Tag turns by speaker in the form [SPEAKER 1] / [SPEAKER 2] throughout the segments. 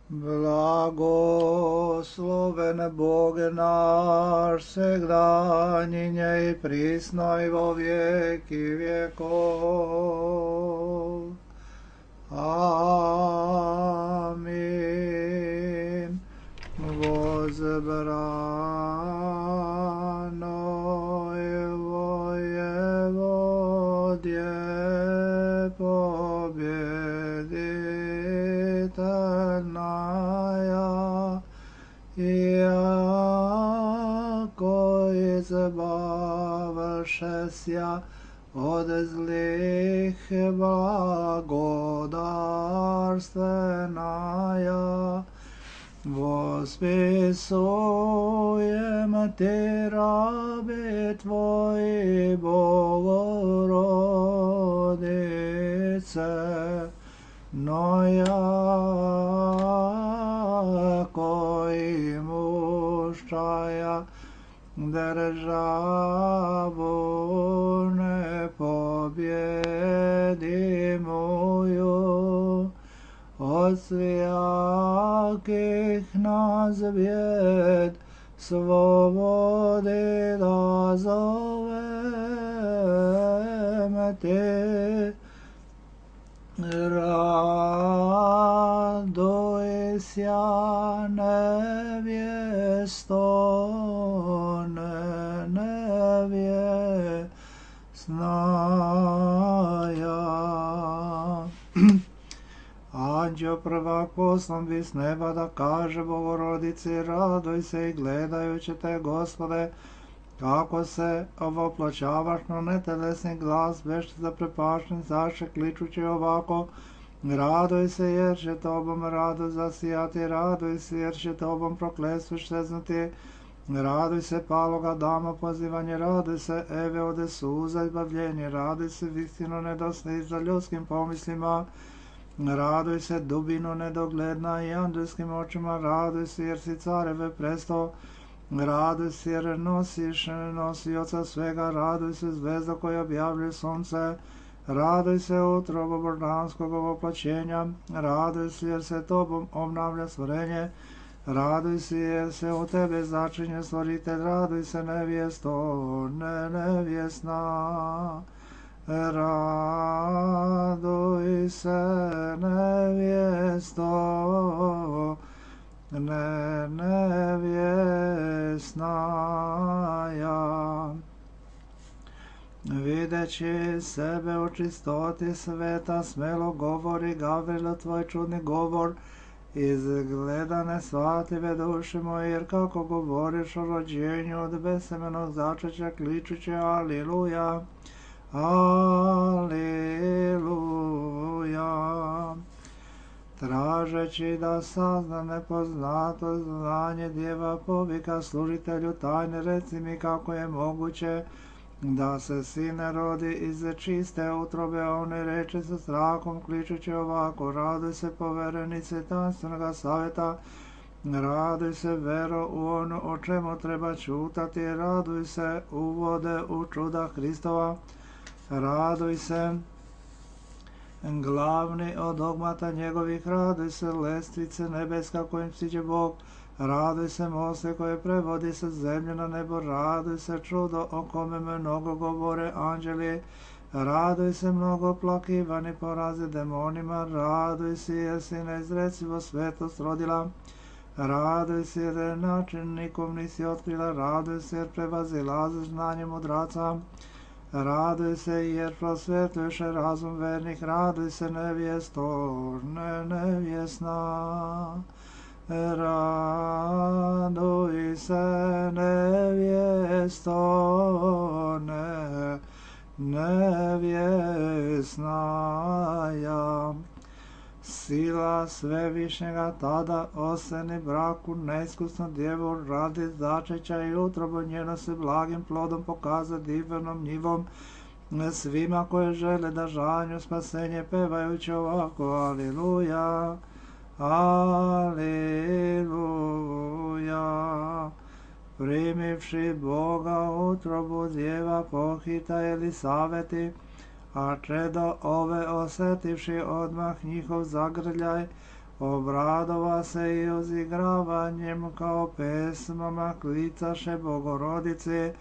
[SPEAKER 1] Blagosloven Bog naš, segdanjinje i prisno i vo vijeki vjekov. Amin. Возбранoj vojevodje победительная, яко избавившися od zlih blagodarstveная, восписуем Ти, раби Твои, Богородице, но яко имущая державу непобедимую, od svjakih nas bjed slobodi da zovem Te. Radujся, nevjesto, nevjesnaja. Anđeo prvak poslan bi s neba da kaže Bogorodici, raduj se i gledajući te, Gospode, kako se ovoploćavaš na netelesni glas, već zaprepašten zaše, kličući ovako, raduj se jer će tobom radost zasijati, raduj se jer će tobom prokletstvo šeznuti, raduj se paloga dama pozivanje, raduj se Eve ode suza izbavljenje, raduj se istinu nedosni za ljudskim pomislima, raduj se dubino nedogledna i anđelskim očima, raduj se jer si careve presto, raduj se jer nosiš nosioca svega, raduj se zvezda koja objavljuje sunce, raduj se utrobo božanskog ovoploćenja, raduj se jer se tobom obnavlja stvorenje, raduj se jer se u tebe začinje stvoritelj, raduj se nevjesto, nevjesna. Raduj se nevjesto, nevjesnaja. Videći sebe u čistoti sveta, smelo govori Gavrilo tvoj čudni govor, izgleda nesvatljive duše moje, jer kako govoriš o rođenju od besemenog začeća, kličući Aliluja. Aleluja. Tražeći da sazna nepoznato znanje djeva povika služitelju tajne, reci mi kako je moguće da se sine rodi iz čiste utrobe, a one reče sa strahom kličući ovako, raduj se poverenice tanstvenoga savjeta, raduj se vero u ono o čemu treba čutati, raduj se uvode u čuda Hristova, raduj se glavni od dogmata njegovih, raduj se lestvice nebeska kojim siđe Bog, raduj se moste koje prevodi sa zemlje na nebo, raduj se čudo o kome mnogo govore anđeli, raduj se mnogo plakivani porazi demonima, raduj se jer si neizrecivo svetost rodila, raduj se jer način nikom nisi otkrila, raduj se jer prevazilaziš znanje mudraca, raduj se jer prosvetljuješ razum vernih, raduj se nevjesto, nevjesna. Raduj se nevjesto, nevjesnaja. Sila svevišnjega tada oseni braku neiskusnu djevu radi začeća i utrobu njeno se blagim plodom pokaza divnom njivom svima koje žele da žanju spasenje pevajući ovako Aliluja, Aliluja. Primivši Boga utrobu djeva pohita Elisaveti, a čedo ove osetivši odmah njihov zagrljaj, obradova se i ozigravanjem kao pesmama klicaše Bogorodice.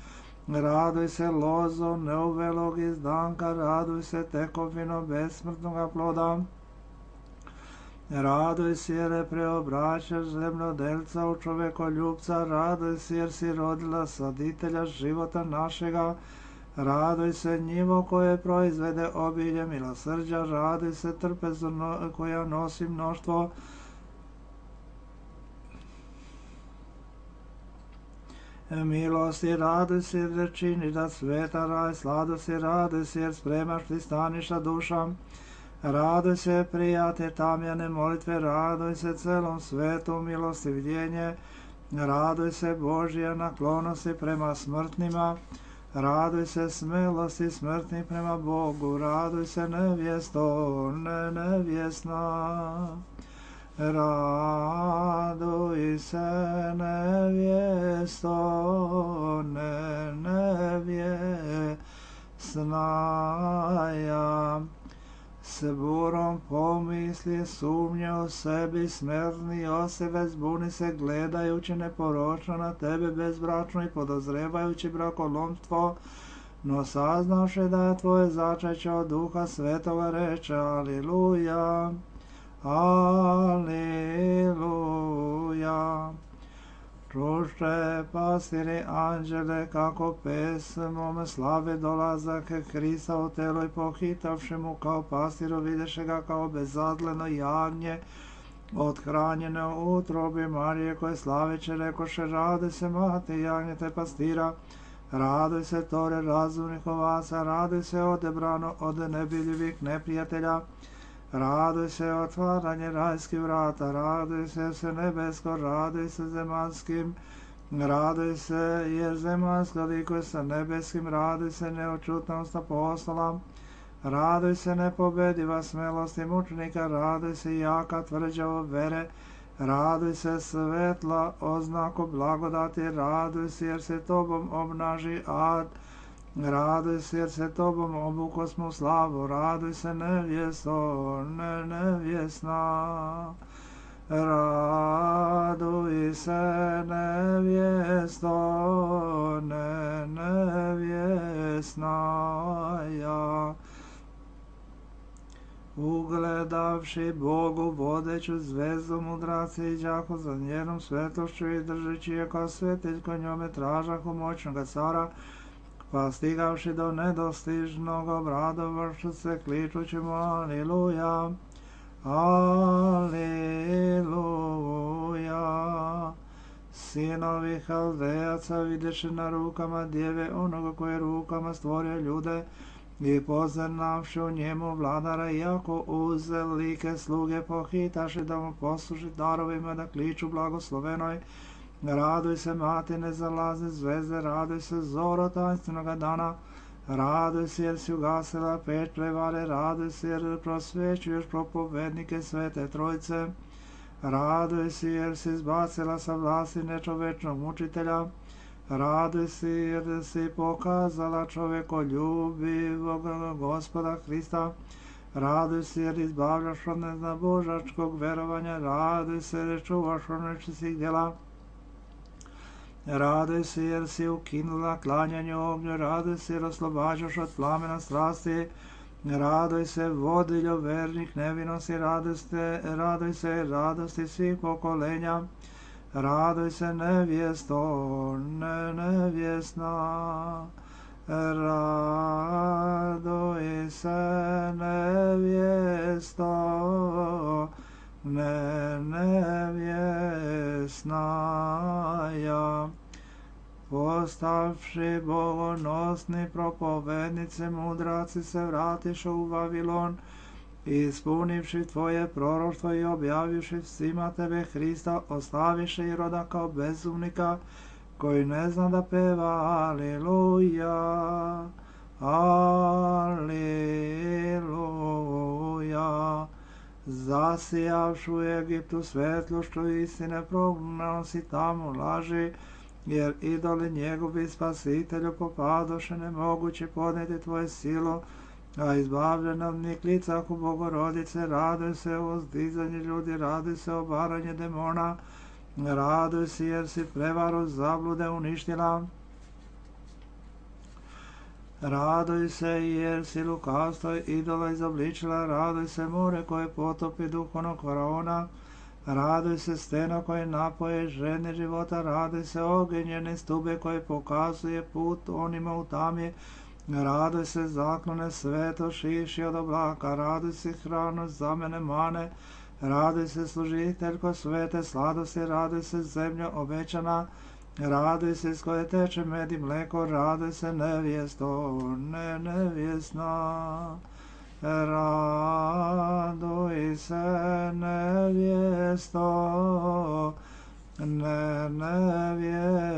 [SPEAKER 1] Raduj se lozo neuvelog izdanka, raduj se tekovino besmrtnoga ploda. Raduj se jer preobraćaš zemljodelca u čovekoljubca, raduj se jer si rodila saditelja života našega, raduj se njivo koje proizvede obilje milosrđa, raduj se trpezu koja nosi mnoštvo milosti, raduj se jer činiš da sveta raj, sladosti, raduj se jer spremaš pristaništa dušam, raduj se prijatelj tamjane molitve, raduj se celom svetu milosti vidjenje, raduj se Božja naklonosti prema smrtnima, raduj se smelosti smrtnih prema Bogu, raduj se nevjesto, nevjesna. Raduj se nevjesto, nevjesna ja. S burom pomisli sumnje o sebi, smrtni osebe zbuni se gledajući neporočno na tebe bezbračno i podozrevajući brakolomstvo, no saznaše da je tvoje začeće od Duha Svetoga, reče Aliluja. Aliluja. Čušte pastiri anđele kako pesmom slave dolazak Hrista u telo i pohitavši mu kao pastiru videše ga kao bezadleno jagnje othranjeno u utrobi Marije koje slaveće rekoše raduj se mati jagnjete pastira, raduj se tore razumnih ovaca, raduj se odebrano od nebiljivih neprijatelja, raduj se otvaranje rajskih vrata, raduj se nebesko, raduj se zemanskim, raduj se jer zemansko likuje sa nebeskim, raduj se neočutnost apostola, raduj se nepobediva smelosti mučenika, raduj se jaka tvrđava vere, raduj se svetla oznako blagodati, raduj se jer se tobom obnaži ad, raduj se jer se tobom obukosmo slavu, raduj se nevjesto, nevjesna. Raduj se nevjesto, nevjesna ja. Ugledavši Bogu vodeću zvezdu mudraci i đako za njenom svetlošću i držeći je kao svetiljko njome tražahu moćnoga cara, pa stigavši do nedostižnog obradovašu se kličući mu Aliluja, Aliluja. Sinovi Haldejaca videše na rukama djeve onoga koje rukama stvorio ljude i poznavši u njemu vladara, iako uze like sluge pohitaše da mu posluži darovima da kliču blagoslovenoj. Raduj se mati nezalazne zvezde, raduj se zoro tanstvenoga dana, raduj se jer si ugasila peć prevare, raduj se jer prosvećuješ propovednike Svete Trojice, raduj se jer si izbacila sa vlasti nečovečnog mučitelja, raduj se jer si pokazala čovekoljubivog Gospoda Hrista, raduj se jer izbavljaš od neznabožačkog verovanja, raduj se jer čuvaš od nečistih djela, raduj se jer si ukinula klanjanje ognju, raduj se jer oslobađaš od plamena strasti, raduj se vodiljo vernih nevinosti, raduj se radosti svih pokolenja, raduj se nevjesto, nevjesna, raduj se nevjesto, nevjesna ja. Postavši bogonosni propovednice mudraci se vratiše u Vavilon, ispunivši tvoje proroštvo i objavivši svima tebe Hrista, ostaviše i roda kao bezumnika koji ne zna da peva Aliluja, Aliluja. Zasijavši u Egiptu svetlošću istine, prognao si tamo laži, jer idoli njegovi spasitelju popadoše nemoguće podnijeti tvoje silu, a izbavljena od niklica ku Bogorodice, raduj se o uzdizanje ljudi, raduj se o baranje demona, raduj se jer si prevaru zablude uništila, raduj se jer si lukavstvo idola izobličila, raduj se more koje potopi duhovnog faraona, raduj se steno koje napoje žene života, raduj se ogenjene stube koje pokazuje put onima u tami, raduj se zaklone sveto šiši od oblaka, raduj se hranu za mene mane, raduj se služiteljko svete sladosti, raduj se zemlja obećana, raduj se iz koje teče med i mleko, raduj se nevjesto, nevjesna. Raduj se nevjesto,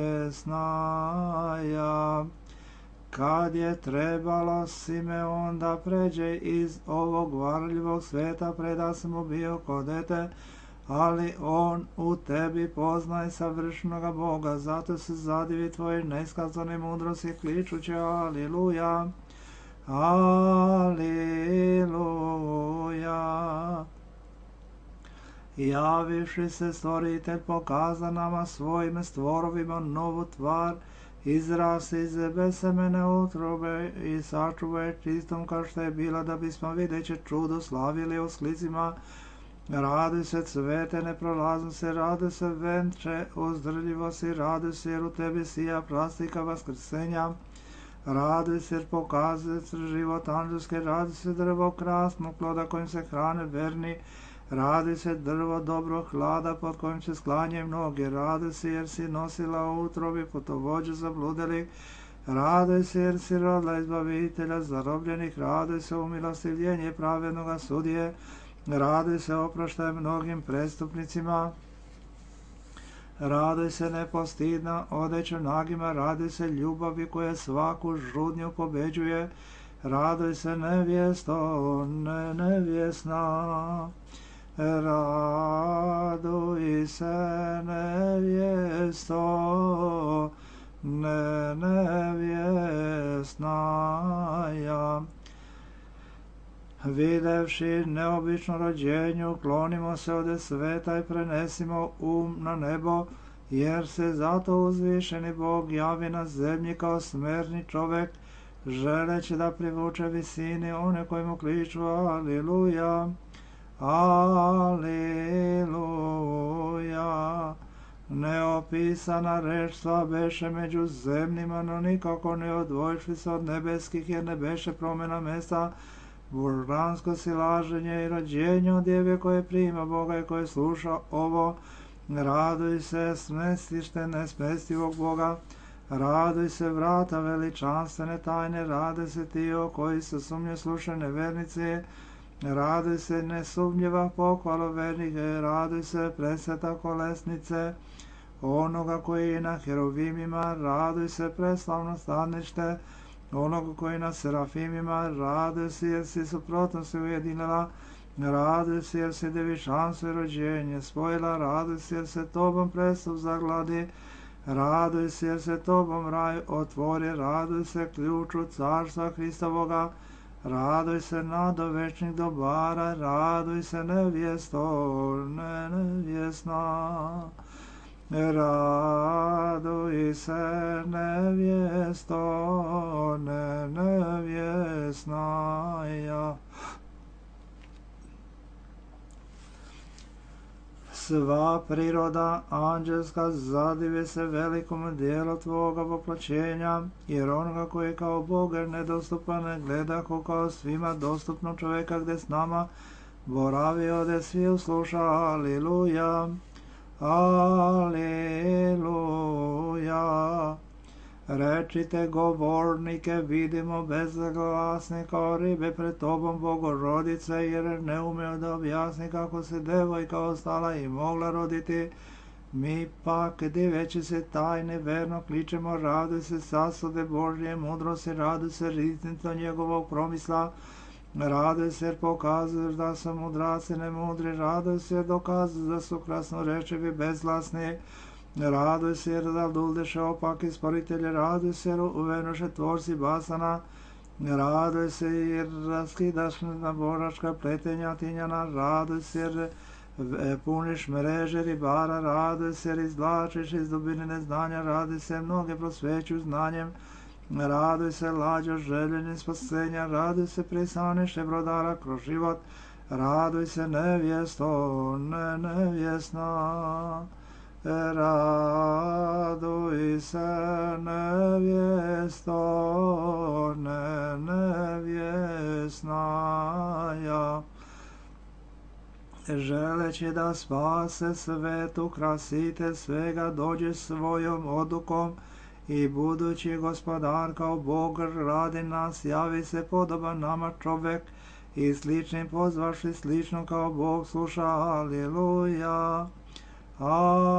[SPEAKER 1] nevjesna ja. Kad je trebalo Simeon da pređe iz ovog varljivog sveta, preda sam mu bio ko dete, ali on u tebi poznaje savršenoga Boga, zato se zadivi tvoje neiskazane mudrosti, kličući Aliluja, Aliluja. Javiši se stvoritelj, pokaza nama svojim stvorovima novu tvar, izrasti iz besemene utrobe i sačuvaj čistom kao što je bila, da bismo videći čudo slavili u sklicima. Raduj se cvete neprolaznosti, raduj se venče uzdržljivosti, raduj se jer u tebi sija plastika vaskrsenja, raduj se jer pokazuje život anđelske, raduj se drvo krasnog ploda kojim se hrane verni, raduj se drvo dobrog hlada pod kojim se sklanjaju mnogi, raduj se jer si nosila u utrobi putovođu zabludeli, raduj se jer si rodila izbavitelja zarobljenih, raduj se umilostivljenje pravednoga sudije, raduj se oproštaj mnogim prestupnicima, raduj se nepostidna odeća nagima, raduj se ljubavi koja svaku žudnju pobeđuje, raduj se nevjesto, nevjesna, raduj se nevjesto, nevjesna ja. Videvši neobično rođenje, uklonimo se od sveta i prenesimo na nebo, jer se zato uzvišeni Bog javi na zemlji kao smerni čovek, želeći da privuče visini one koji mu kliču Aliluja, Aliluja. Neopisana reč sva beše među zemljima, no nikako ne odvojišli se od nebeskih, jer ne beše promjena mesta, božansko silaženje i rođenje od djeve koje prima Boga i koje sluša ovo. Raduj se smestište nesmestivog Boga, raduj se vrata veličanstvene tajne, raduj se ti o koji se sumnje slušaju nevernici, raduj se nesumnjiva pohvala vernika, raduj se presveta kolesnice onoga koji je na heruvimima, raduj se preslavno stanište onoga koji na serafimima, raduj se jer si suprotnosti ujedinila, raduj se jer si devičanstvo i rođenje spojila, raduj se jer se tobom prestup zagladi, raduj se jer se tobom raj otvori, raduj se ključu carstva Hristovoga, raduj se nado večnih dobara, raduj se nevjesto, nevjesna. Raduj se nevjesto, nevjesna ja. Sva priroda anđelska zadive se velikom dijelu tvoga voplaćenja, jer onoga koji je kao Bog nedostupan ne gleda kao svima dostupno čoveka gde s nama boravi ode svi usluša. Aliluja, Aliluja. Rečite govornike, vidimo bezglasni kao ribe pred tobom Bogorodice, jer ne umeo da objasni kako se devojka ostala i mogla roditi. Mi pak, diveći se tajne, verno kličemo, raduj se sasude Božje mudrosti, raduj se riznico njegovog promisla, raduj se jer pokazuješ da su mudraci nemudri, raduj se jer dokazuš da su krasnorečivi bezglasni, raduj se jer zaduldeše opaki sporitelje, raduj se jer uvenoše tvorci basana, Raduj se jer raskidaš na boračka pletenja tinjana, raduj se jer puniš mreže ribara, raduj se jer izvlačiš iz dubine neznanja, raduj se mnoge prosvećuju znanjem, raduj se lađo željenim spasenja, raduj se prisaniše brodara kroz život, raduj se nevjesto, nevjesna. Raduj se nevjesto, nevjesnaja. Želeći da spase svetu, krasite svega, dođe svojom odlukom i budući gospodar kao Bog radi nas, javi se podoban nama čovek i sličnim pozvaši slično kao Bog sluša. Aleluja. Aleluja.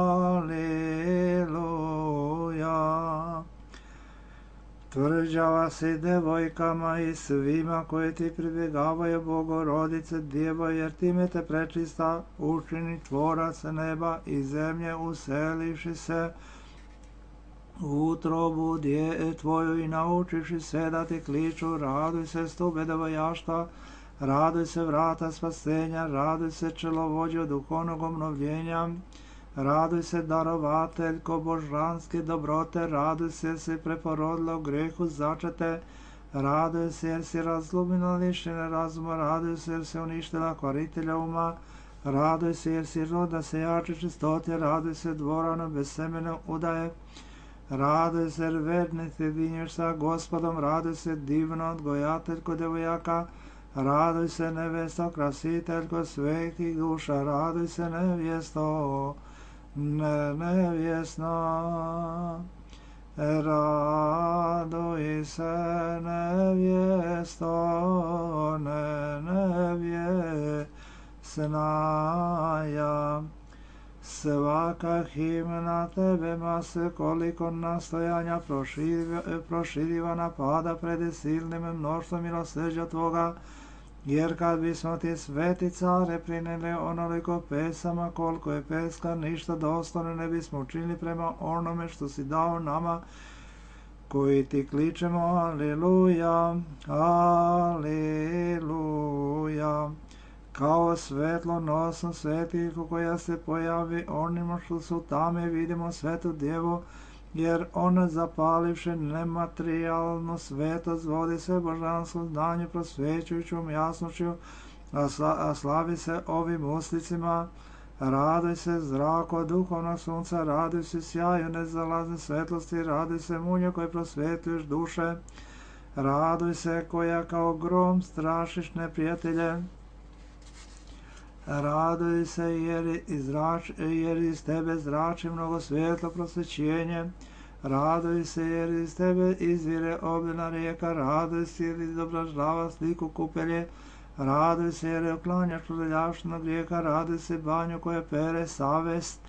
[SPEAKER 1] Tvrđava si devojkama i svima koji ti pribjegavaju, Bogorodice Djevo, jer time te prečista učini tvorac neba i zemlje, uselivši se u utrobu tvoju i naučiši sve da ti kliču. Raduj se stube devojaštva, raduj se vrata spasenja, raduj se čelovođo duhovnog obnovljenja, raduj se darovateljko božanske dobrote, raduj se jer si preporodila u grehu začete, raduj se jer si razlomila lišene razuma, raduj se jer si uništila kvaritelja uma, raduj se jer si roda sejače čistote, raduj se dvorano bez semene udaje, raduj se jer verni ti dinješ sa Gospodom, raduj se divno odgojateljko devojaka, raduj se nevesto krasiteljko svetih duša, raduj se nevjesto, nevjesna. Raduj se nevjesto, nevjesnaja. Svaka himna tebe mase koliko nastojanja proširiva napada pred silnim mnoštvom milosrđa tvoga, jer kad bismo ti sveti care prineli onoliko pesama koliko je peska, ništa dostojno ne bismo učinili prema onome što si dao nama koji ti kličemo. Aleluja, aleluja. Kao svetlo nosom svetih koja se pojavi onima što su tame, vidimo svetu djevu, jer ona zapalivše nematerijalno svetost vodi se božanskom znanju prosvećujućom jasnošću, a slavi se ovim uslicima. Raduj se zrako duhovnog sunca, raduj se sjaju nezalazne svetlosti, raduj se munje koje prosvetljuješ duše, raduj se koja kao grom strašiš neprijatelje, raduj se jer iz tebe zrači mnogo svetlo prosvećenje, raduj se jer iz tebe izvire obilna rijeka, raduj se jer izobražava sliku kupelje, raduj se jer je oklanjaš prljavštinu grijeha, raduj se banju koje pere savest,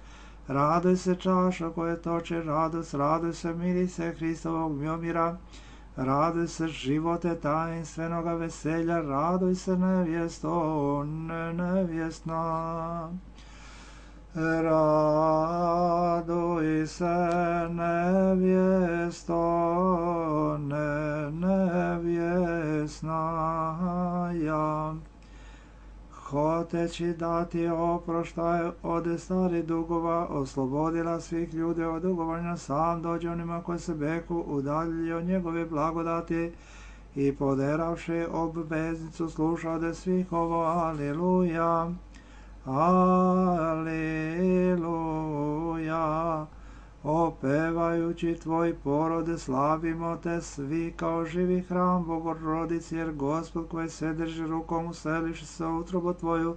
[SPEAKER 1] raduj se čaša koje toče radost, raduj se mirise Hristovog mjomira, raduj se živote tajinstvenoga veselja, raduj se nevjesto, nevjesna. Raduj se nevjesto, nevjesnaja. Hoteći dati oproštaj od starih dugova, oslobodila svih ljudi od dugovanja, sam dođe onima koji se beku udaljili od njegove blagodati i poderavši obveznicu sluša od svih ovo. Aleluja, aleluja. Opevajući tvoj porode slavimo te svi kao živi hram Bogorodici, jer Gospod koji se drži rukom useliš se u utrobu tvoju,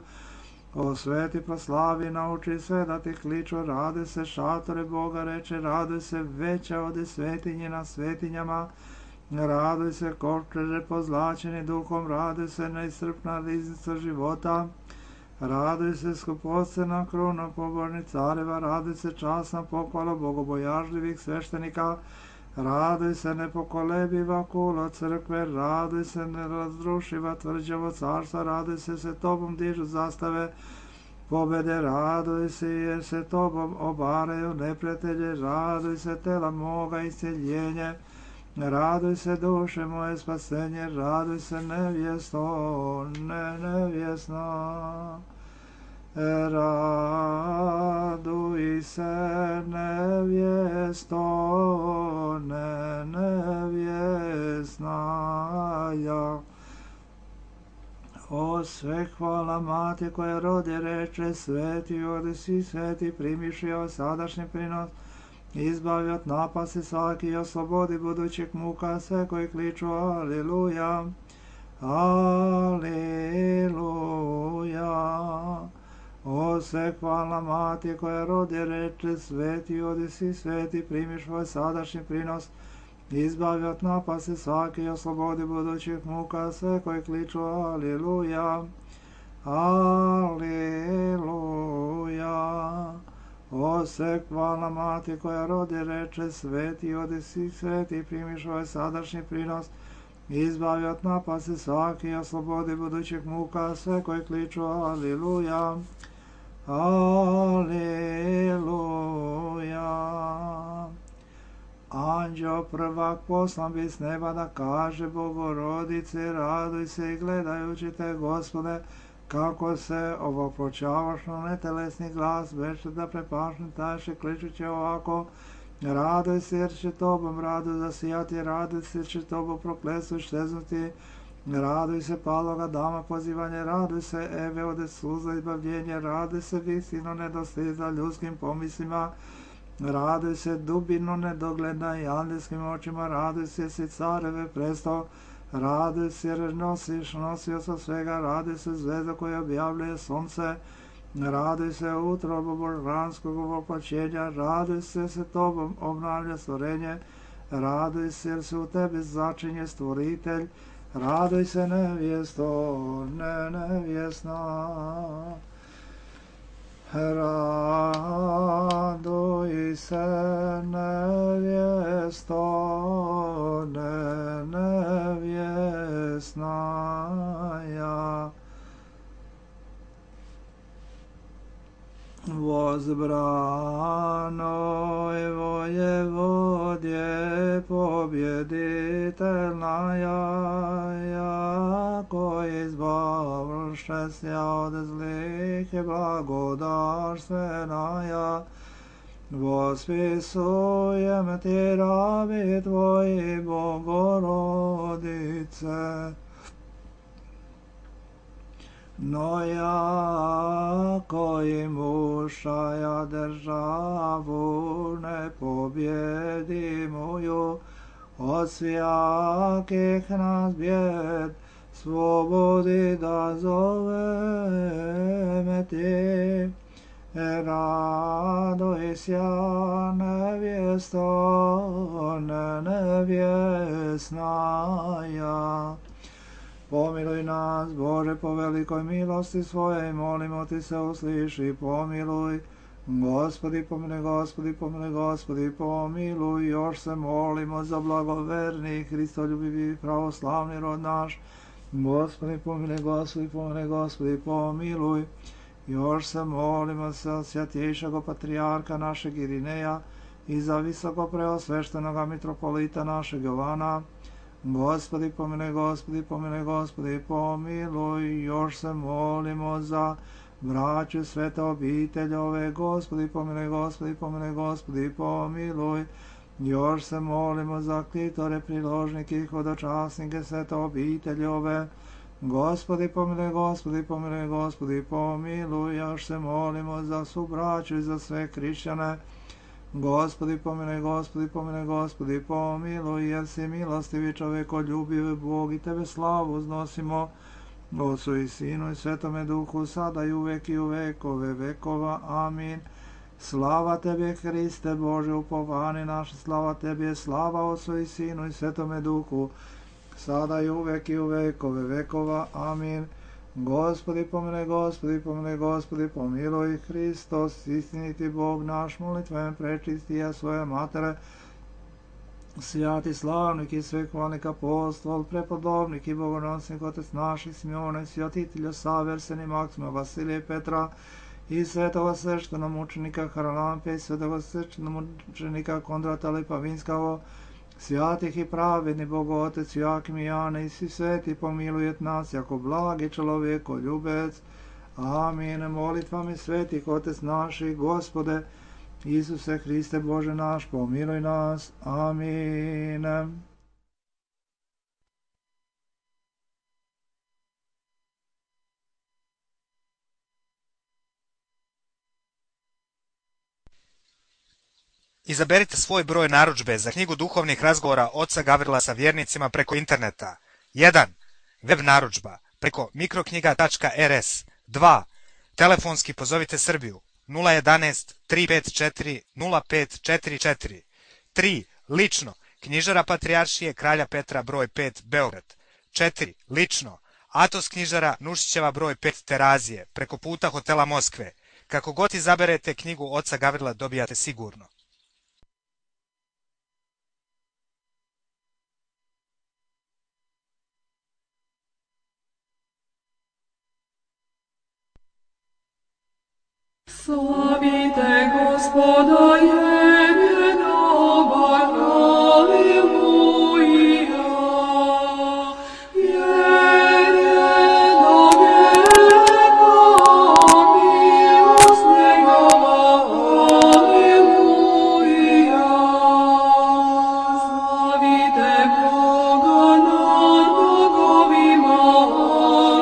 [SPEAKER 1] osveti proslavi, nauči sve da ti kliču, raduj se šatore Boga reče, raduj se veća od svetinje na svetinjama, raduj se kočeže pozlačeni duhom, raduj se neiscrpna riznica života, raduj se skupocena kruna pobožnih careva, raduj se časna pohvala bogobojažljivih sveštenika, raduj se nepokolebiva kula crkve, raduj se nerazrušiva tvrđavo carstva, raduj se tobom dižu zastave pobede, raduj se jer se tobom obaraju neprijatelje, raduj se tela moga isceljenje, Raduj se duše moje spasenje, raduj se nevjesto, nevjesna. Raduj se nevjesto, nevjesna. O sve hvala mati koja rodi reče, sveti odisi, sveti primiši o sadašnji prinos, izbavi od napasti svaki i oslobodi budućih muka sve koji kliču Aliluja, Aliluja. O sve hvala mati koja rodi reče, sveti odisi, sveti primiš svoj sadašnji prinos, izbavi od napasti svaki i oslobodi budućih muka sve koji kliču Aliluja, Aliluja. O sve hvala mati koja rodi reče, sveti odisi, sveti primiš svoj sadašnji prinos, izbavi od napasti svaki i oslobodi budućih muka sve koji kliču Aliluja, Aliluja. Anđeo prvak poslan bi s neba da kaže Bogorodice, raduj se i gledajući te, Gospode, kako se ovopločavaš na netelesni glas, već da prepašni tajše kličuće ovako, raduj se jer će tobom radu zasijati, raduj se jer će tobom prokletstvo šteznuti, raduj se paloga dama pozivanje, raduj se Eve ode suza izbavljenje, raduj se visino nedostiza ljudskim pomislima, raduj se dubino nedogledna i andelskim očima, raduj se si careve presto, raduj se jer nosio sa svega, raduj se zvezda koja objavljuje sunce, raduj se utrobu božanskog ovoploćenja, raduj se tobom obnavlja stvorenje, raduj se jer se u tebi začinje stvoritelj, raduj se nevjesto, nevjesna. Raduj se nevjesto, nevjesna. Возбранoj воеводje побjeditelnaja, jako izbavlše sja od zlih i blagodarstvenaja, vospisujem ti rabi tvoji, Bogorodice. No jako imušaja državu nepobjedimuju, od svijakih nas bjed slobodi da zoveme ti. Raduj sja nevjesto, nevjesnaja. Pomiluj nas, Bože, po velikoj milosti svojej, molimo ti se, usliši, pomiluj. Gospodi, pomiluj, Gospodi, pomiluj, Gospodi, pomiluj. Još se molimo za blagoverni, hristoljubivi, pravoslavni rod naš. Gospodi, pomiluj, Gospodi, pomiluj, Gospodi, pomiluj. Još se molimo za svjatjejšeg patrijarka našeg Irineja i za visoko preosveštenoga mitropolita našeg Jovana. Gospodi, pomiluj, Gospodi, pomiluj, Gospodi, pomiluj. Još se molimo za braću svete obiteljove. Gospodi, pomiluj, Gospodi, pomiluj, Gospodi, pomiluj. Još se molimo za klitore, priložnike i hodočasnike svete obiteljove. Gospodi, pomiluj, Gospodi, pomiluj, Gospodi, pomiluj. Još se molimo za svu braću i za sve hrišćane. Gospodi, pomiluj, Gospodi, pomiluj, Gospodi, pomiluj, jer si milostivi, čovekoljubivi Bog, i tebe slavu uznosimo, Otcu i Sinu i Svetome Duhu, sada i uvek i u vekove vekova. Amin. Slava tebi, Hriste Bože, upovani naše, slava tebi, slava Otcu i Sinu i Svetome Duhu, sada i uvek i u vekove vekova. Amin. Gospodi, pomiluj, Gospodi, pomiluj, Gospodi, pomiluj. Hristos, istiniti Bog naš, molitvom prečistija svoje matere, svjati slavnik i svehvalnik apostol, prepodobnik i bogonosnik otec naših Simeona, svjatitelja Saverseni Maksima, Vasilija i Petra, i svetoga sveštenomučenika Haralampe, i svetoga sveštenomučenika Kondrata Lipavinskого, Святих и праведni Богу Отец, Joakim i Jane i svi sveti pomilujet nas, jako blagi čovjeko ljubec. Amin. Molitvami svetih Otec naših, Gospode, Isuse Hriste Bože naš, pomiluj nas. Amin.
[SPEAKER 2] Izaberite svoj broj narudžbe za knjigu duhovnih razgovora oca Gavrila sa vjernicima preko interneta. 1. Web narudžba preko mikroknjiga.rs. 2. Telefonski pozovite Srbiju 011 354 0544. 3. Lično Knjižara Patrijaršije Kralja Petra broj 5 Beograd. 4. Lično Atos knjižara Nušićeva broj 5 Terazije preko puta hotela Moskve. Kako god izaberete knjigu oca Gavrila dobijate sigurno.
[SPEAKER 3] Slavite Gospoda jednoga, Alleluja. Jedno vijeka milost njegova, Alleluja. Slavite Boga nad bogovima, Alleluja.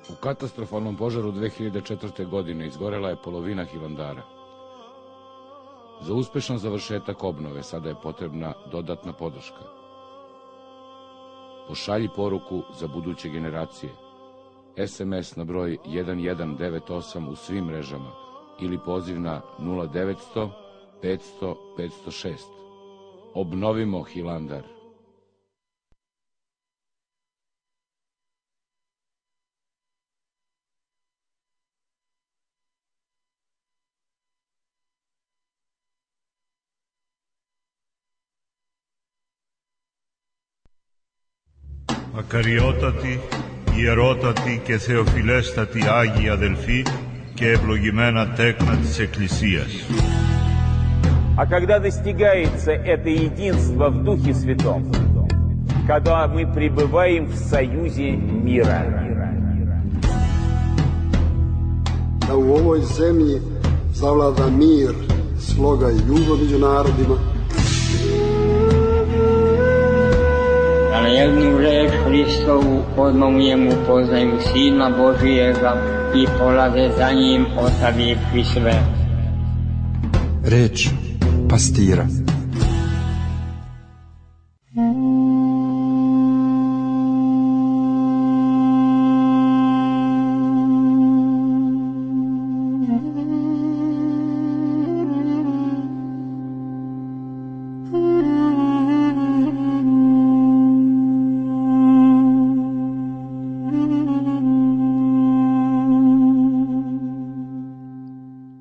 [SPEAKER 4] U katastrofalnom požaru 2004. godine izgorela je polovina Hilandara. Za uspešan završetak obnove sada je potrebna dodatna podrška. Pošalji poruku za buduće generacije. SMS na broj 1198 u svim mrežama ili poziv na 0900 500 506. Obnovimo Hilandar.
[SPEAKER 5] Ακαριότατοι, ιερότατοι και θεοφιλέστατοι Άγιοι αδελφοί και ευλογημένα τέκνα της Εκκλησίας.
[SPEAKER 6] А когда достигается это единство в Духе Святом, когда мы пребываем в союзе мира.
[SPEAKER 7] Da u ovoj zemlji zavlada mir, sloga i ljubav među narodima.
[SPEAKER 8] Da na jednu reč Hristovu odmah u njemu poznaju Sina Božijega i polaze za njim ostavivši sve.
[SPEAKER 9] Reč pastira.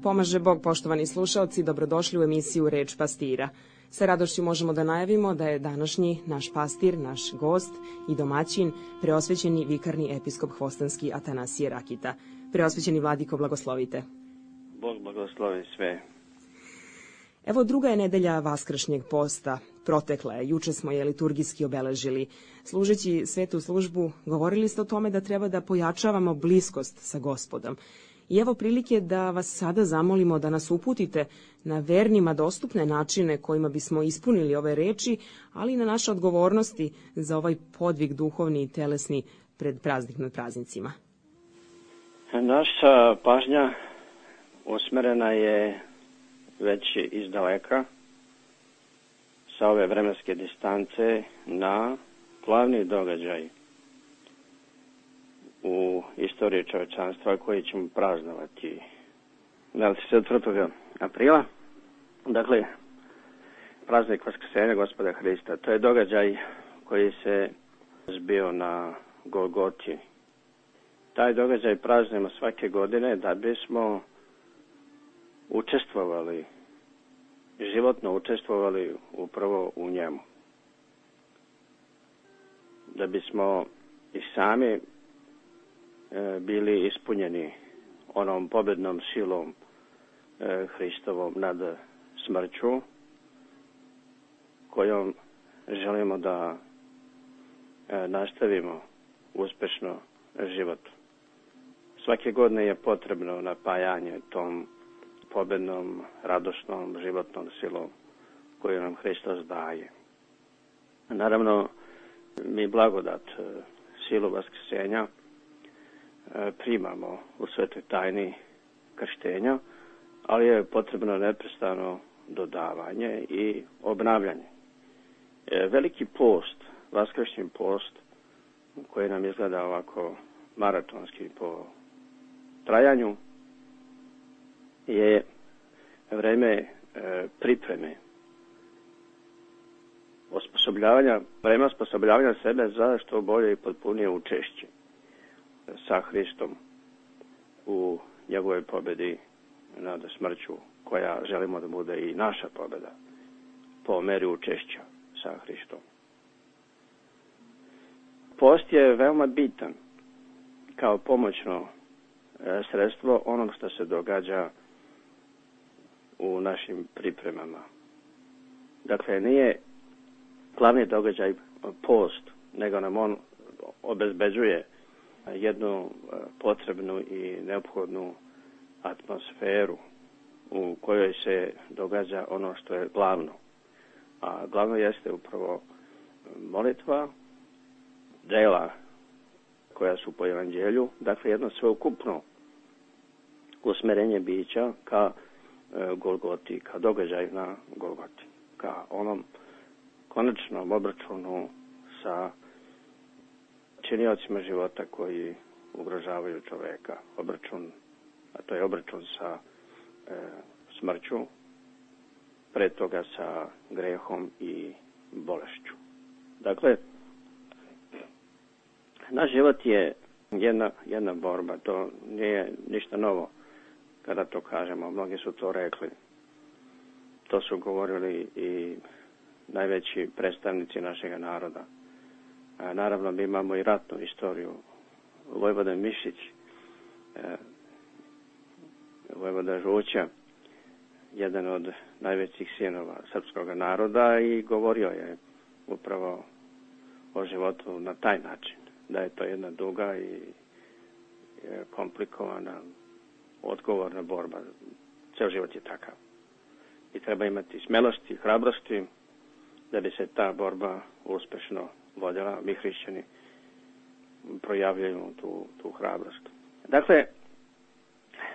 [SPEAKER 10] Pomaže Bog, poštovani slušaoci, dobrodošli u emisiju Reč pastira. Sa radošću možemo da najavimo da je današnji naš pastir, naš gost i domaćin, preosvećeni vikarni episkop Hvostanski Atanasije Rakita. Preosvećeni vladiko, blagoslovite.
[SPEAKER 11] Bog blagoslovi sve.
[SPEAKER 10] Evo, druga je nedelja Vaskršnjeg posta. Protekla je, juče smo je liturgijski obeležili. Služeći svetu službu, govorili ste o tome da treba da pojačavamo bliskost sa Gospodom. I evo prilike da vas sada zamolimo da nas uputite na vernima dostupne načine kojima bismo ispunili ove reči, ali i na naše odgovornosti za ovaj podvig duhovni i telesni pred praznicima.
[SPEAKER 11] Naša pažnja usmerena je već iz daleka sa ove vremenske distance na glavni događaj u istoriji čovečanstva koji ćemo praznovati 24. aprila. Dakle, praznik Vaskrsenja Gospoda Hrista. To je događaj koji se zbio na Golgoti. Taj događaj praznujemo svake godine da bismo učestvovali, životno učestvovali upravo u njemu. Da bismo i sami bili ispunjeni onom pobednom silom Hristovom nad smrću, kojom želimo da nastavimo uspešno život. Svake godine je potrebno napajanje tom pobednom, radosnom, životnom silom koju nam Hristos daje. Naravno, mi blagodat, silu Vaskrsenja primamo u svetoj tajni krštenja, ali je potrebno neprestano dodavanje i obnavljanje. Veliki post, vaskršnji post, koji nam izgleda ovako maratonski po trajanju, je vreme pripreme, vreme osposobljavanja sebe za što bolje i potpunije učešće sa Hristom u njegovoj pobedi nad smrću, koja želimo da bude i naša pobeda po meri učešća sa Hristom. Post je veoma bitan kao pomoćno sredstvo onom što se događa u našim pripremama. Dakle, nije glavni događaj post, nego nam on obezbeđuje jednu potrebnu i neophodnu atmosferu u kojoj se događa ono što je glavno. A glavno jeste upravo molitva, dela koja su po evanđelju, dakle jedno sveukupno usmerenje bića ka Golgoti, ka događaju na Golgoti, ka onom konačnom obračunu sa činiocima života koji ugrožavaju čoveka. Obračun, a to je obračun sa smrću, pre toga sa grehom i bolešću. Dakle, naš život je jedna borba, to nije ništa novo kada to kažemo. Mnogi su to rekli. To su govorili i najveći predstavnici našega naroda. Naravno, mi imamo i ratnu istoriju. Vojvoda Mišić, vojvoda Žuća, jedan od najvećih sinova srpskog naroda, i govorio je upravo o životu na taj način, da je to jedna duga i komplikovana, odgovorna borba. Ceo život je takav. I treba imati smelosti i hrabrosti da bi se ta borba uspešno vodila. Mi hrišćani projavljujemo tu hrabrost. Dakle,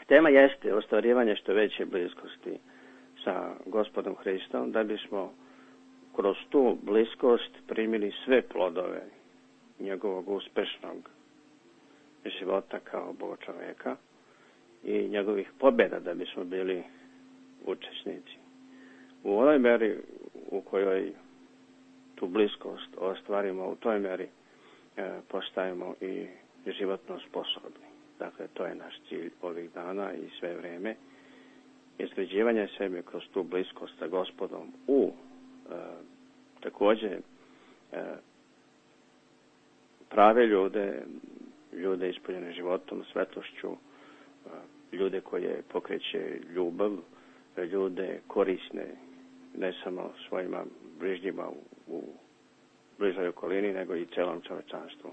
[SPEAKER 11] tema jeste ostvarivanje što veće bliskosti sa Gospodom Hristom, da bismo kroz tu bliskost primili sve plodove njegovog uspešnog života kao Boga čoveka i njegovih pobjeda, da bismo bili učesnici. U onoj meri u kojoj tu bliskost ostvarimo, u toj meri postajemo i životno sposobni. Dakle, to je naš cilj ovih dana i sve vreme. Izgrađivanje sebe kroz tu bliskost sa Gospodom u takođe prave ljude ispunjene životom, svetlošću, ljude koje pokreće ljubav, ljude korisne ne samo svojima bližnjima u bližoj okolini, nego i celom čovečanstvu.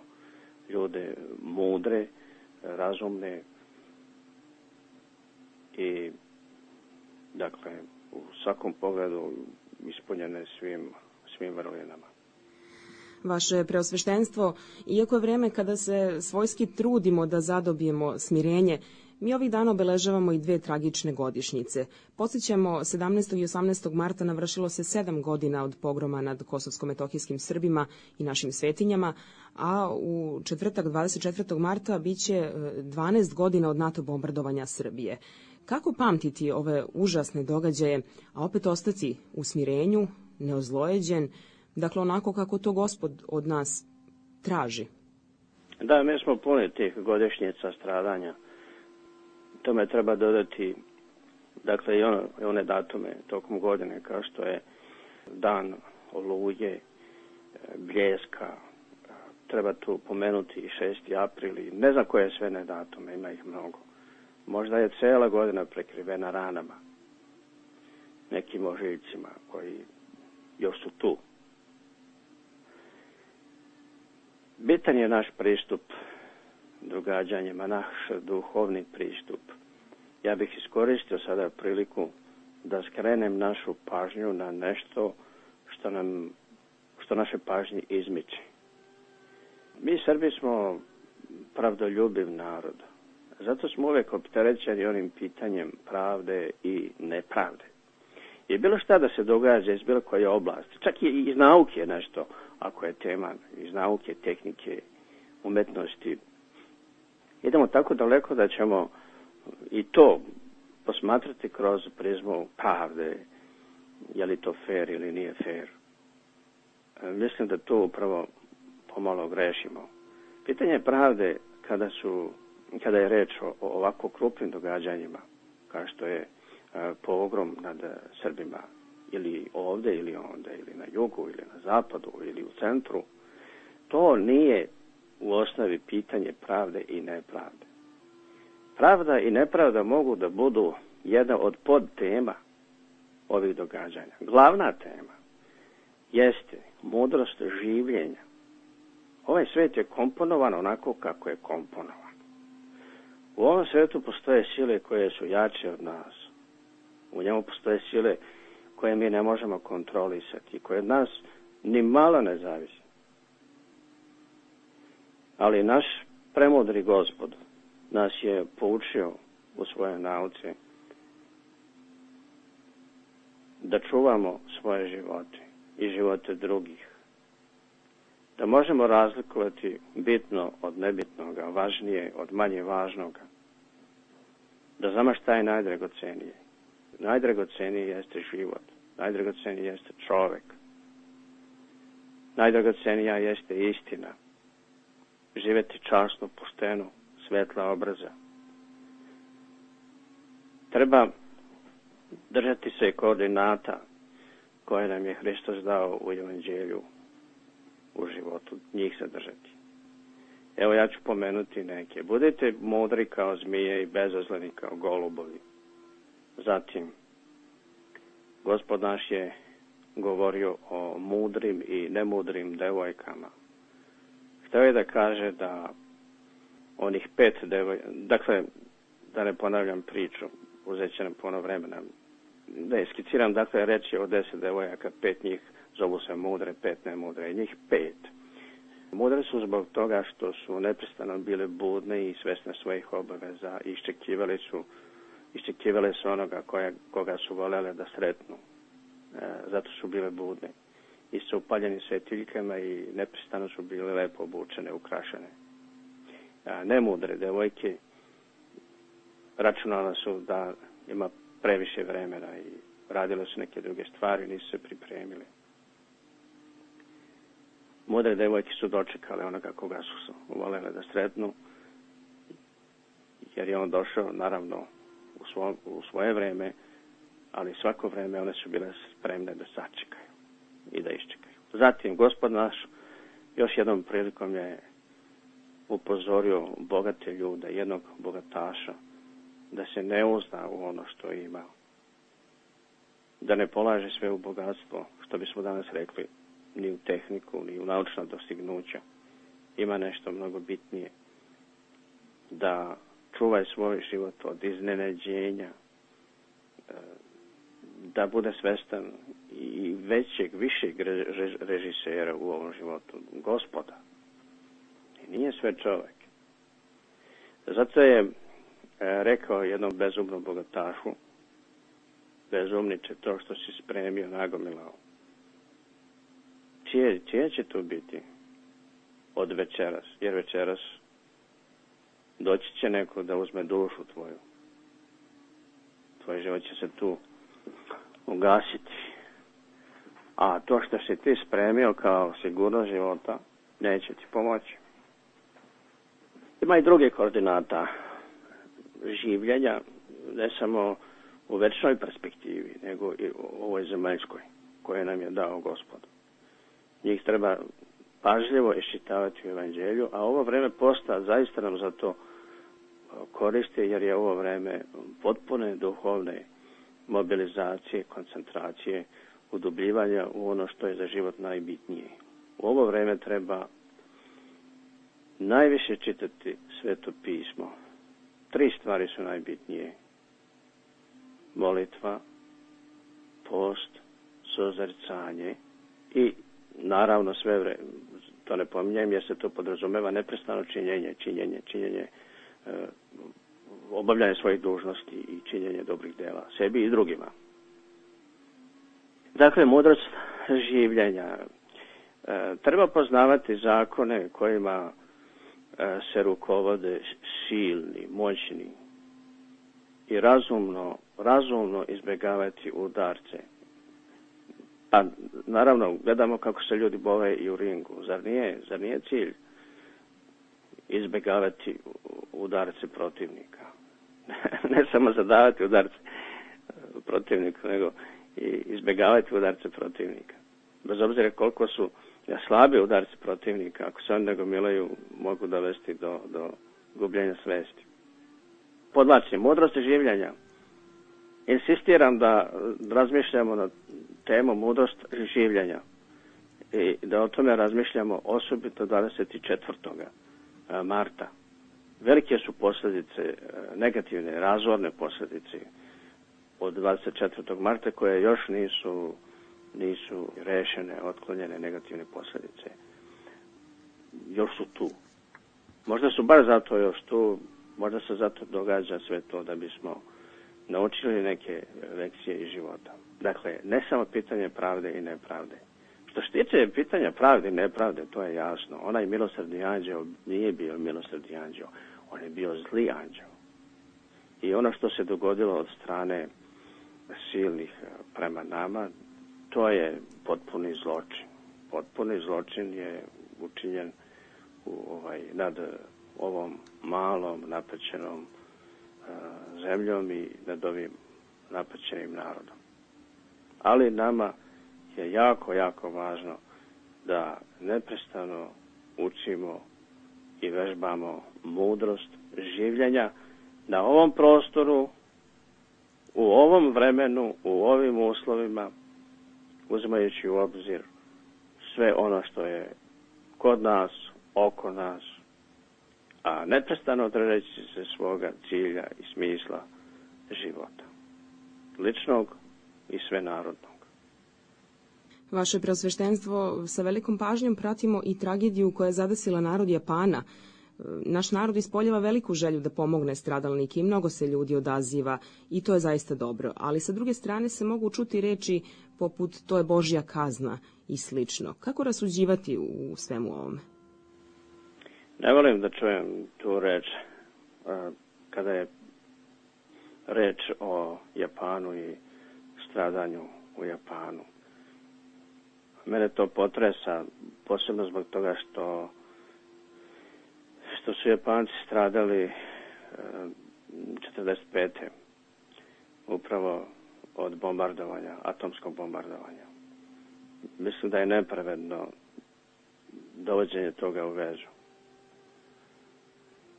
[SPEAKER 11] Ljude mudre, razumne i, dakle, u svakom pogledu ispunjene svim vrlinama.
[SPEAKER 10] Vaše preosveštenstvo, iako je vreme kada se svojski trudimo da zadobijemo smirenje, mi ovih dana obeležavamo i 2 tragične godišnjice. Podsjećamo, 17. i 18. marta navršilo se 7 godina od pogroma nad kosovsko-metohijskim Srbima i našim svetinjama, a u četvrtak 24. marta biće 12 godina od NATO bombardovanja Srbije. Kako pamtiti ove užasne događaje, a opet ostati u smirenju, neozlojeđen, dakle onako kako to Gospod od nas traži?
[SPEAKER 11] Da, mi smo puni tih godišnjica stradanja. Tome treba dodati, dakle, i one datume tokom godine, kao što je dan Oluje, Bljeska, treba tu pomenuti i 6. april, i ne znam koje sve ne datume, ima ih mnogo. Možda je cela godina prekrivena ranama, nekim ožiljcima koji još su tu. Bitan je naš pristup događanjima, naš duhovni pristup. Ja bih iskoristio sada priliku da skrenem našu pažnju na nešto što naše pažnje izmiče. Mi Srbi smo pravdoljubiv narod. Zato smo uvek opterećeni onim pitanjem pravde i nepravde. I bilo šta da se događa iz bilo koje oblasti, čak i iz nauke nešto, ako je tema, iz nauke, tehnike, umetnosti, idemo tako daleko da ćemo i to posmatrati kroz prizmu pravde, je li to fair ili nije fair. Mislim da tu upravo pomalo grešimo. Pitanje pravde kada je reč o ovako krupnim događanjima, kao što je pogrom nad Srbima, ili ovde ili onda, ili na jugu, ili na zapadu, ili u centru, to nije u osnovi pitanje pravde i nepravde. Pravda i nepravda mogu da budu jedna od podtema ovih događanja. Glavna tema jeste mudrost življenja. Ovaj svet je komponovan onako kako je komponovan. U ovom svetu postoje sile koje su jače od nas. U njemu postoje sile koje mi ne možemo kontrolisati, koje od nas ni malo ne zavise. Ali naš premudri Gospod nas je poučio u svojoj nauci da čuvamo svoje živote i živote drugih. Da možemo razlikovati bitno od nebitnoga, važnije od manje važnoga. Da znamo šta je najdragocenije. Najdragocenije jeste život. Najdragocenije jeste čovek. Najdragocenija jeste istina. Živeti časno, pošteno, svetla obraza. Treba držati se koordinata koje nam je Hristos dao u Evanđelju, u životu. životu, njih se držati. Evo ja ću pomenuti neke. Budite mudri kao zmije i bezazleni kao golubovi. Zatim, Gospod naš je govorio o mudrim i nemudrim devojkama. Htio je da kaže da onih 5 devojaka, dakle, da ne ponavljam priču, uzet će nam puno vremena, da iskiciram, dakle, reč je o 10 devojaka, 5 njih zovu se mudre, 5 nemudre, njih 5. Mudre su zbog toga što su neprestano bile budne i svesne svojih obaveza i iščekivale su onoga koga su volele da sretnu. Zato su bile budne. I su upaljeni svetiljkama i neprestano su bile lepo obučene, ukrašene. Nemudre devojke računala su da ima previše vremena i radile su neke druge stvari, nisu se pripremile. Mudre devojke su dočekale onoga koga su volele da sretnu, jer je on došao, naravno, u svoje vreme, ali svako vreme one su bile spremne da sačekaju i da iščekaju. Zatim, Gospod naš još jednom prilikom je upozorio bogate ljude, jednog bogataša, da se ne uzda u ono što ima, da ne polaže sve u bogatstvo, što bismo danas rekli, ni u tehniku, ni u naučna dostignuća. Ima nešto mnogo bitnije. Da čuvaj svoj život od iznenađenja, da bude svestan i višeg režisera u ovom životu, Gospoda. I nije sve čovjek. Zato je rekao jednom bezumnom bogatašu, bezumniče, to što si spremio, nagomilao. Čije će to biti od večeras? Jer večeras doći će neko da uzme dušu tvoju. Tvoj život će se tu ugasiti. A to što si ti spremio kao sigurnost života, neće ti pomoći. Ima i druge koordinata življenja, ne samo u večnoj perspektivi, nego i u ovoj zemaljskoj, koje nam je dao Gospod. Njih treba pažljivo iščitavati u evanđelju, a ovo vreme posta zaista nam za to koriste, jer je ovo vreme potpune duhovne mobilizacije, koncentracije, udubljivanja u ono što je za život najbitnije. U ovo vreme treba najviše čitati Sveto pismo. 3 stvari su najbitnije. Molitva, post, suzrcanje i naravno sve vreme, to ne pominjem jer se to podrazumeva neprestano činjenje, obavljanje svojih dužnosti i činjenje dobrih dela, sebi i drugima. Dakle, mudrost življenja. Treba poznavati zakone kojima se rukovode silni, moćni i razumno izbjegavati udarce. A naravno, gledamo kako se ljudi bove i u ringu. Zar nije cilj izbjegavati udarce protivnika? Ne samo zadavati udarce protivnika, nego i izbjegavati udarce protivnika. Bez obzira koliko su slabi udarci protivnika, ako se oni nagomilaju, mogu dovesti do gubljenja svesti. Podvlačim, mudrost življenja. Insistiram da razmišljamo na temu mudrost življenja i da o tome razmišljamo osobito 24. marta. Velike su posljedice, negativne, razorne posljedice od 24. marta koje još nisu rešene, otklonjene negativne posljedice. Još su tu. Možda su baš zato još tu, možda se zato događa sve to da bismo naučili neke lekcije iz života. Dakle, ne samo pitanje pravde i nepravde. Što se tiče pitanja pravde i nepravde, to je jasno. Onaj milosrdni anđeo nije bio milosrdni anđeo, on je bio zli anđeo. I ono što se dogodilo od strane silnih prema nama, to je potpuni zločin. Potpuni zločin je učinjen nad ovom malom napaćenom zemljom i nad ovim napaćenim narodom. Ali nama je jako, jako važno da neprestano učimo i vežbamo mudrost življenja na ovom prostoru, u ovom vremenu, u ovim uslovima, uzimajući u obzir sve ono što je kod nas, oko nas, a neprestano držeći se svoga cilja i smisla života, ličnog i svenarodnog.
[SPEAKER 10] Vaše preosveštenstvo, sa velikom pažnjom pratimo i tragediju koja je zadesila narod Japana. Naš narod ispoljava veliku želju da pomogne stradalnike i mnogo se ljudi odaziva i to je zaista dobro, ali sa druge strane se mogu čuti reči poput to je Božja kazna i slično. Kako rasuđivati u svemu ovome?
[SPEAKER 11] Ne volim da čujem tu reč kada je reč o Japanu i stradanju u Japanu. Mene to potresa, posebno zbog toga što su Japanci stradali 45. upravo od bombardovanja, atomskog bombardovanja. Mislim da je nepravedno dovođenje toga u vezu.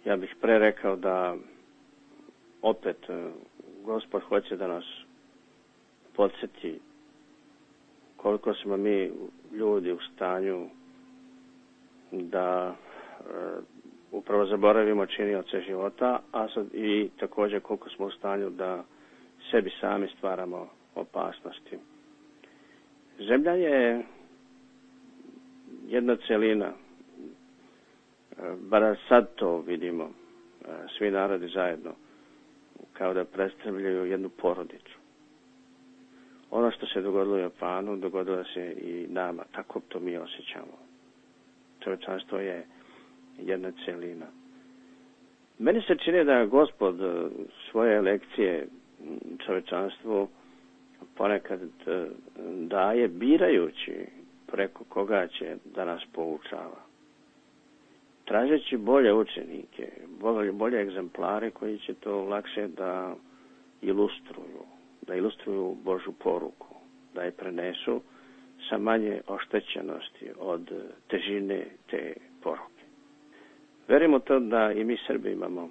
[SPEAKER 11] Ja bih pre rekao da opet Gospod hoće da nas podsjeti koliko smo mi ljudi u stanju da upravo zaboravimo činioce života, a sad i također koliko smo u stanju da sebi sami stvaramo opasnosti. Zemlja je jedna celina, bar sad to vidimo, svi narodi zajedno, kao da predstavljaju jednu porodicu. Ono što se dogodilo u Japanu, dogodilo se i nama, tako to mi osjećamo. Čovječanstvo je jedna celina. Meni se čini da Gospod svoje lekcije čovječanstvu ponekad daje birajući preko koga će da nas poučava. Tražeći bolje učenike, bolje egzemplare koji će to lakše da ilustruju Božju poruku, da je prenesu sa manje oštećenosti od težine te poruke. Verimo to da i mi Srbi imamo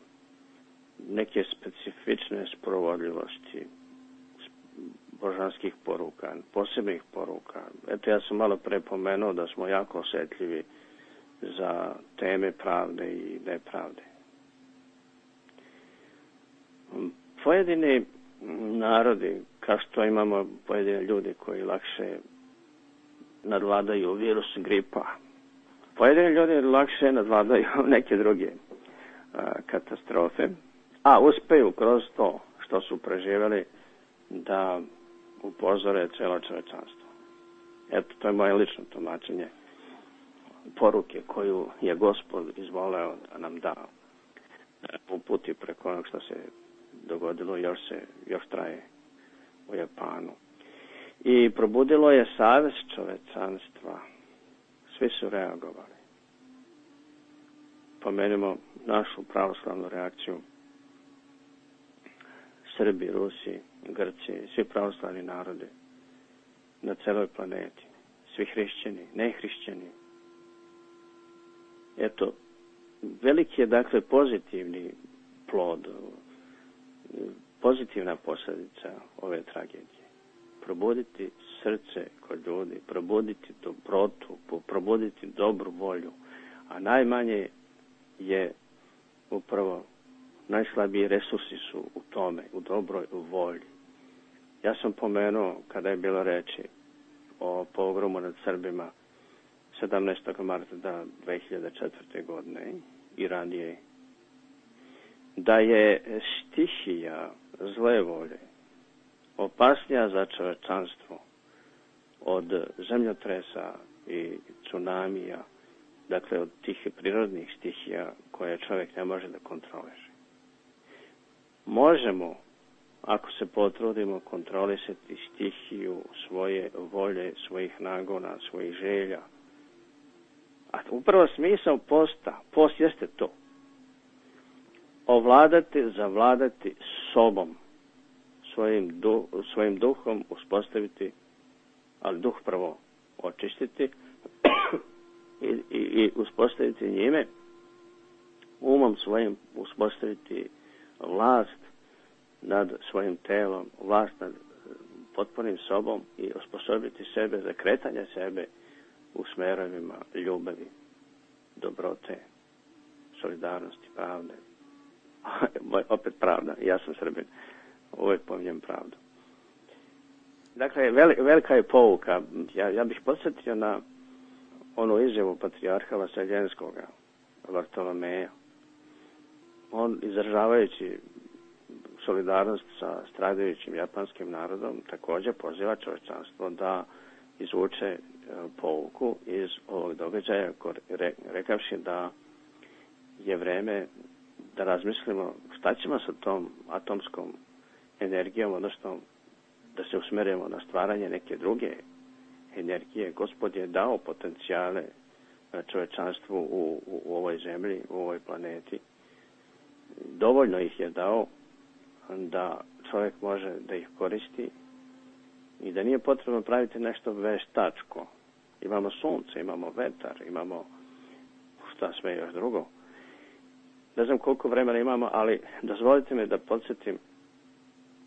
[SPEAKER 11] neke specifične sprovodljivosti božanskih poruka, posebnih poruka. Eto, ja sam malo pre pomenuo da smo jako osjetljivi za teme pravde i nepravde. Pojedini narodi, kao što imamo pojedine ljudi koji lakše nadvladaju virus gripa, pojedini ljudi lakše nadvladaju neke druge katastrofe, a uspeju kroz to što su preživjeli da upozore celo čovečanstvo. Eto, to je moje lično tumačenje poruke koju je Gospod izvoleo da nam da uputi preko onog što se dogodilo, još traje u Japanu. I probudilo je savest čovečanstva. Svi su reagovali. Pomenimo našu pravoslavnu reakciju. Srbi, Rusi, Grci, svi pravoslavni narodi na celoj planeti. Svi hrišćani, nehrišćani. Eto, veliki je dakle pozitivni plod, pozitivna posljedica ove tragedije. Probuditi srce kod ljudi, probuditi dobrotu, probuditi dobru volju, a najmanje je upravo najslabiji resursi su u tome, u dobroj volji. Ja sam pomenuo, kada je bilo reči o pogromu nad Srbima 17. marta 2004. godine i ranije, da je stihija zle volje opasnija za čovečanstvo od zemljotresa i tsunamija, dakle od tih prirodnih stihija koje čovjek ne može da kontroliše. Možemo, ako se potrudimo, kontrolisati stihiju svoje volje, svojih nagona, svojih želja. A upravo smisao posta, post jeste to. Ovladati, zavladati sobom, svojim duhom uspostaviti, ali duh prvo očistiti, i uspostaviti njime, umom svojim uspostaviti vlast nad svojim telom, vlast nad potpunim sobom i osposobiti sebe za kretanje sebe u smerovima ljubavi, dobrote, solidarnosti, pravde. Opet pravda, ja sam Srbin, uvijek pominjem pravdu. Dakle, velika je pouka. Ja bih podsjetio na onu izjavu patrijarha Vaseljenskoga, Vartolomeja. On, izražavajući solidarnost sa stradajućim japanskim narodom, također poziva čovječanstvo da izvuče pouku iz ovog događaja, rekavši da je vreme da razmislimo šta ćemo sa tom atomskom energijom, odnosno da se usmerimo na stvaranje neke druge energije. Gospod je dao potencijale čovječanstvu u ovoj zemlji, u ovoj planeti. Dovoljno ih je dao da čovjek može da ih koristi i da nije potrebno praviti nešto veštačko. Imamo sunce, imamo vetar, imamo šta sve još drugo. Ne znam koliko vremena imamo, ali dozvolite mi da podsjetim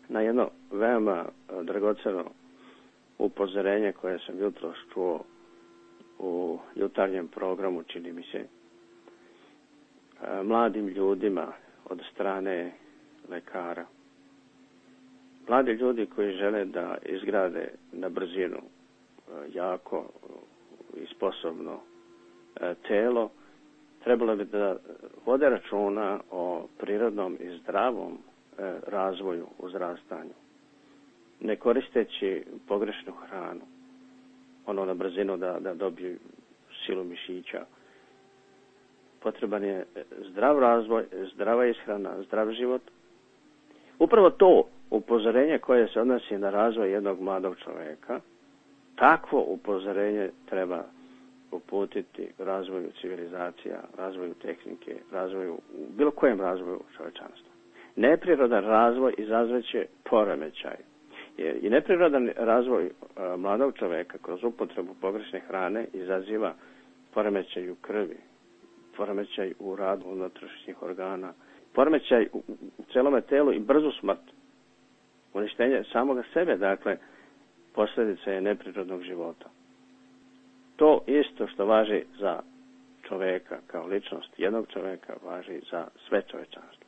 [SPEAKER 11] na jedno veoma dragoceno upozorenje koje sam jutros čuo u jutarnjem programu, čini mi se, mladim ljudima od strane lekara. Mladi ljudi koji žele da izgrade na brzinu jako i sposobno telo, trebalo bi da vode računa o prirodnom i zdravom razvoju, uzrastanju, ne koristeći pogrešnu hranu, ono na brzinu da dobiju silu mišića. Potreban je zdrav razvoj, zdrava ishrana, zdrav život. Upravo to upozorenje koje se odnosi na razvoj jednog mladog čovjeka, takvo upozorenje treba uputiti razvoju civilizacija, razvoju tehnike, razvoju, u bilo kojem razvoju čovječanstva. Neprirodan razvoj izazvaće poremećaj. I neprirodan razvoj mladog čovjeka kroz upotrebu pogrešne hrane izaziva poremećaj u krvi, poremećaj u radu unutrašnjih organa, poremećaj u celome telu i brzu smrt. Uništenje samoga sebe, dakle, posljedica je neprirodnog života. To isto što važi za čovjeka kao ličnost jednog čovjeka, važi za sve čovječanstvo.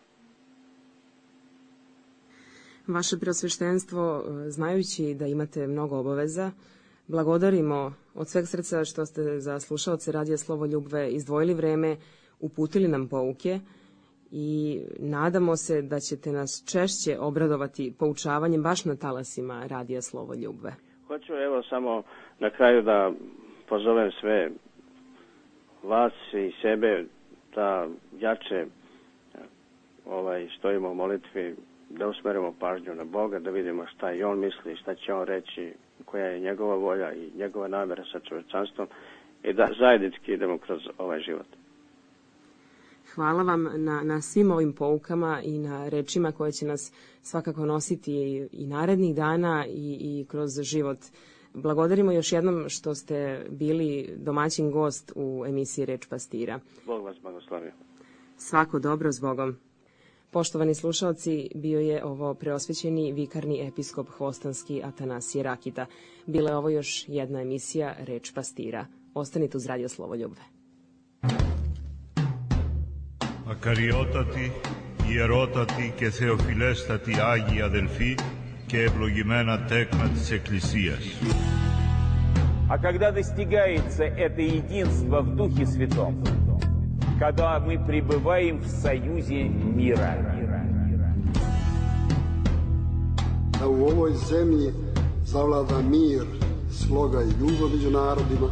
[SPEAKER 10] Vaše preosveštenstvo, znajući da imate mnogo obaveza, blagodarimo od sveg srca što ste za slušaoce Radija Slovo Ljubve izdvojili vreme, uputili nam pouke i nadamo se da ćete nas češće obradovati poučavanjem baš na talasima Radija Slovo Ljubve.
[SPEAKER 11] Hoću evo samo na kraju da pozovem sve vas i sebe da jače stojimo u molitvi, da usmerimo pažnju na Boga, da vidimo šta i On misli, šta će On reći, koja je njegova volja i njegova namjera sa čovječanstvom i da zajednički idemo kroz ovaj život.
[SPEAKER 10] Hvala vam na svim ovim poukama i na rečima koje će nas svakako nositi i narednih dana i kroz život. Blagodarimo još jednom što ste bili domaćin gost u emisiji Reč pastira.
[SPEAKER 11] Bog vas blagoslovio.
[SPEAKER 10] Svako dobro s Bogom. Poštovani slušalci, bio je ovo preosvećeni vikarni episkop hvostanski Atanasije Rakita. Bila je ovo još jedna emisija Reč pastira. Ostanite uz Radio Slovo Ljubve.
[SPEAKER 5] Ακαριότατοι, ιερότατοι και θεοφιλέστατοι Άγιοι αδελφοί και ευλογημένα τέκνα της Εκκλησίας.
[SPEAKER 6] А когда достигается это единство в Духе Святом, когда мы пребываем в союзе мира.
[SPEAKER 7] Da u ovoj zemlji zavlada mir, sloga i ljubav među narodima.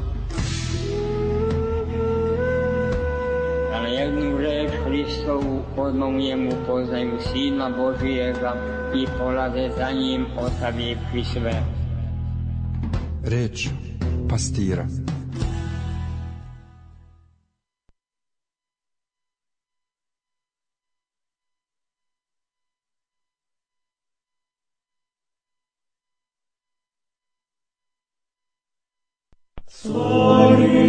[SPEAKER 8] Da na jednu reč Hristovu odmah u njemu poznaju Sina Božijega i polaze za njim ostavivši sve.
[SPEAKER 9] Reč pastira.
[SPEAKER 3] Sorry.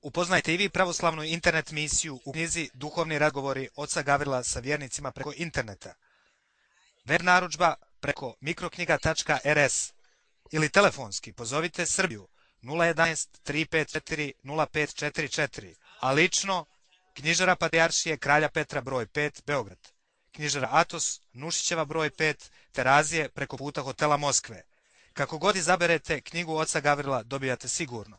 [SPEAKER 2] Upoznajte i vi pravoslavnu internet misiju u knjizi Duhovni razgovori oca Gavrila sa vjernicima preko interneta. Web narudžba preko mikroknjiga.rs ili telefonski pozovite Srbiju 011 354 0544, a lično knjižara Patrijaršije Kralja Petra broj 5 Beograd, knjižara Atos Nušićeva broj 5 Terazije preko puta hotela Moskve. Kako god izaberete knjigu oca Gavrila dobijate sigurno.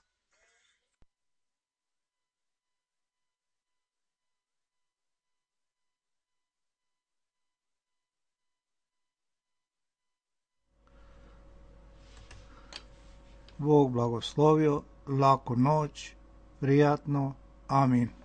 [SPEAKER 1] Bog blagoslovio, laku noć, prijatno, amin.